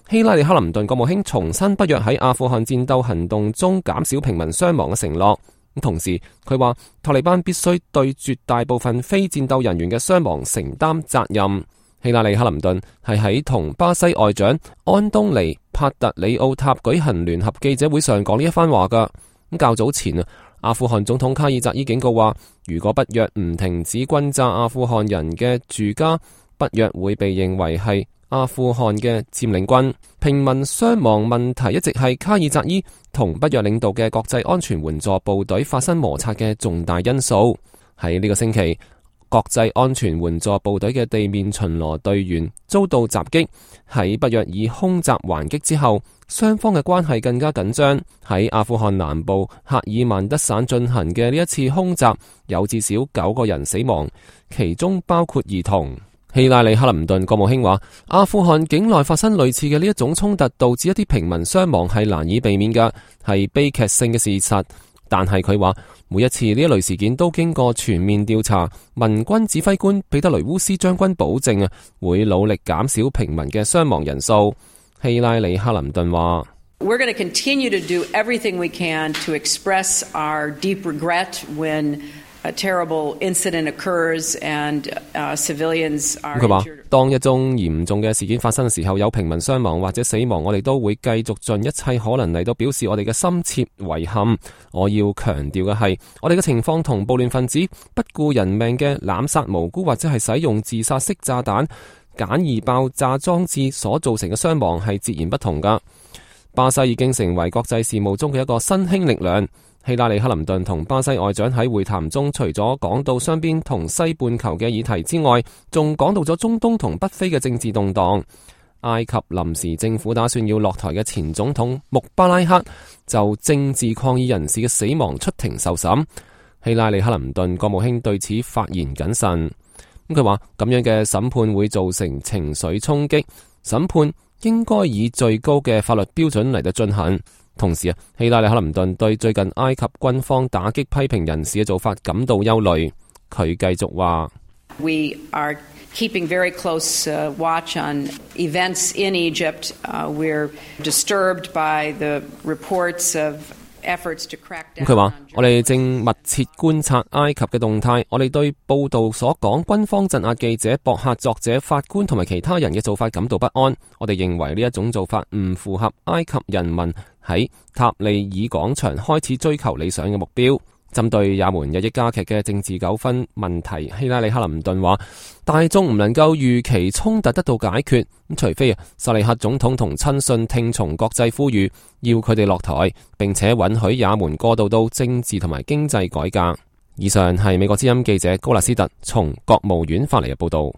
希拉里克林頓國務卿重申北約喺阿富汗戰鬥行動中減少平民傷亡嘅承諾。同時佢話塔利班必須對絕大部分非戰鬥人員嘅傷亡承擔責任。希拉里克林頓係喺同巴西外長安東尼帕特里奧塔舉行聯合記者會上講呢一番話噶。較早前阿富汗總統卡爾扎伊警告話，如果北約唔停止轟炸阿富汗人嘅住家，北約會被認為係阿富汗嘅佔領軍。平民傷亡問題一直係卡爾扎伊同北約領導嘅國際安全援助部隊發生摩擦嘅重大因素。喺呢個星期，國際安全援助部隊嘅地面巡邏隊員遭到襲擊，喺北約以空襲還擊之後，雙方嘅關係更加緊張。喺阿富汗南部赫爾曼德省進行嘅呢一次空襲，有至少9個人死亡，其中包括兒童。希拉里克林頓國務卿話，阿富汗境內發生類似嘅呢一種衝突，導致一啲平民傷亡係難以避免嘅，係悲劇性嘅事實。但係佢話，每一次呢一類事件都經過全面調查，民軍指揮官彼得雷烏斯將軍保證會努力減少平民嘅傷亡人數。希拉里克林頓話，We're going to continue to do everything we can to express our deep regret when a terrible incident occurs and civilians are injured. 佢話，當一宗嚴重嘅事件發生嘅時候，有平民傷亡或者死亡，我哋都會繼續盡一切可能嚟到表示我哋嘅深切遺憾。我要強調嘅係，我哋嘅情況同暴亂分子不顧人命嘅濫殺無辜或者係使用自殺式炸彈、簡易爆炸裝置所造成嘅傷亡係截然不同㗎。巴西已經成為國際事務中嘅一個新興力量。希拉里克林頓同巴西外長喺會談中，除咗講到雙邊同西半球嘅議題之外，仲講到咗中東同北非嘅政治動盪。埃及臨時政府打算要落台嘅前總統穆巴拉克就政治抗議人士嘅死亡出庭受審。希拉里克林頓國務卿對此發言謹慎。佢話咁樣嘅審判會造成情緒衝擊，審判應該以最高嘅法律標準嚟到進行。同時希拉里克林頓對最近埃及軍方打擊批評人士嘅做法感到憂慮。佢繼續話 ：We are keeping very close watch on events in Egypt. We're disturbed by the reports of efforts to crack down. 佢話：我哋正密切觀察埃及嘅動態。我哋對報道所講軍方鎮壓記者、博客作者、法官同埋其他人嘅做法感到不安。我哋認為呢一種做法唔符合埃及人民喺塔利爾廣場開始追求理想嘅目標。針對也門日益加劇嘅政治糾紛問題，希拉里克林頓話：大眾唔能夠預期衝突得到解決，除非薩利克總統同親信聽從國際呼籲，要佢哋落台，並且允許也門過渡到政治同埋經濟改革。以上係美國之音記者高納斯特從國務院發嚟嘅報道。